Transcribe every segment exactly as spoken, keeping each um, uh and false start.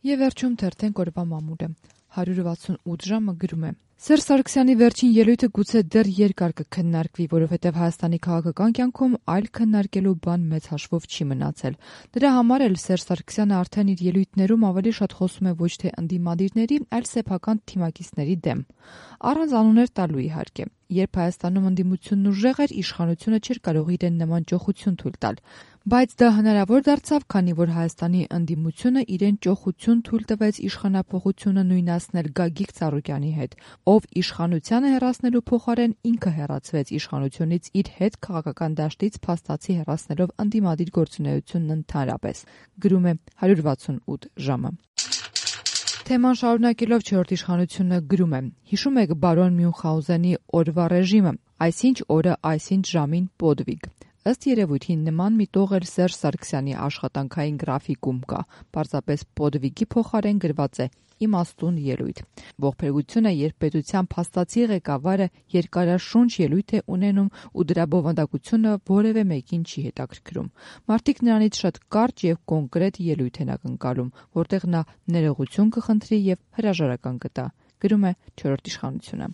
Եվ վերջում թերթենք օրվա մամուլը։ հարյուր վաթսունութ ժամը գրում է. Սերժ Սարգսյանի վերջին ելույթը գուցե դեռ երկար կքննարկվի, որովհետև Հայաստանի քաղաքական կյանքում այլ քննարկելու բան մեծ հաշվով չի մնացել։ Դրա համար էլ Սերժ Սարգսյանը արդեն իր ելույթներում ավելի շատ խոսում է ոչ թե ընդդիմադիրների, այլ սեփական թիմակիցների դեմ։ Առանց անուններ տալու իհարկե։ Երբ Հայաստանում ընդդիմությունն ուժեղ էր, իշխանությունը չէր կարող իրեն նման ճոխություն թույլ տալ։ Բայց դա հնարավոր դարձավ, քանի որ Հայաստանի ընդդիմությունը իրեն ճոխություն թույլ տվեց իշխանափոխությունը նույնացնել Գագիկ Ծառուկյանի հետ, ով իշխանությանը հեռացնելու փոխարեն ինքը հեռացվեց իշխանությունից իր հետ քաղաքական դաշտից փաստացի հեռացնելով ընդդիմադիր գործունեությունն ընդհանրապես։ Գրում է հարյուր վաթսունութ ժամը։ Թեման շարունակելով չորրորդ իշխանությունը գրում է. Հիշում եք բարոն Մյունխաուզենի օրվա ռեժիմը, այսինչ օրը այսինչ ժամին պոդվիգ։ Ըստ երևույթի նման մի տող էլ Սերժ Սարգսյանի աշխատանքային գրաֆիկում կա, պարզապես պոդվիգի փոխարեն գրված է իմաստուն ելույթ։ Ողբերգությունը, երբ պետության փաստացի ղեկավարը երկարաշունչ ելույթ է ունենում ու դրա բովանդակությունը որևէ մեկին չի հետաքրքրում։ Մարդիկ նրանից շատ կարճ եւ կոնկրետ ելույթ են ակնկալում, որտեղ նա ներողություն կխնդրի եւ հրաժարական կտա։ Գրում է չորրորդ իշխանությունը։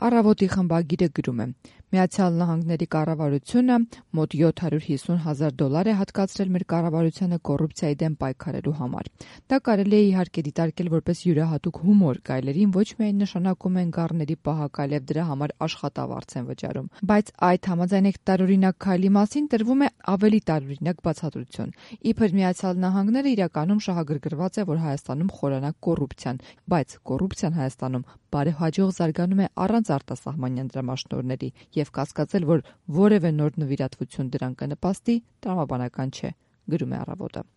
Առավոտի խմբագիրը գրում է. Միացյալ Նահանգների կառավարությունը մոտ յոթ հարյուր հիսուն հազար դոլար է հատկացրել մեր կառավարությանը կոռուպցիայի դեմ պայքարելու համար։ Դա կարելի է իհարկե դիտարկել որպես յուրահատուկ հումոր, գայլերին ոչ միայն նշանակում են գառների պահակալ եւ դրա համար աշխատավարձ են վճարում, բայց այդ համաձայնեք տարօրինակ քայլի մասին տրվում է ավելի տարօրինակ բացատրություն։ Իբր Միացյալ Նահանգները իրականում շահագրգռված է, որ Հայաստանում խորանա կոռուպցիան, բայց կոռուպցիան Հայաստանում բարեհաջող զարգանում է առանց արտասահմանյան դրամաշնորհների եւ կասկածել, որ որևէ նոր նվիրատվություն դրան կնպաստի, տրամաբանական չէ, գրում է Առավոտը։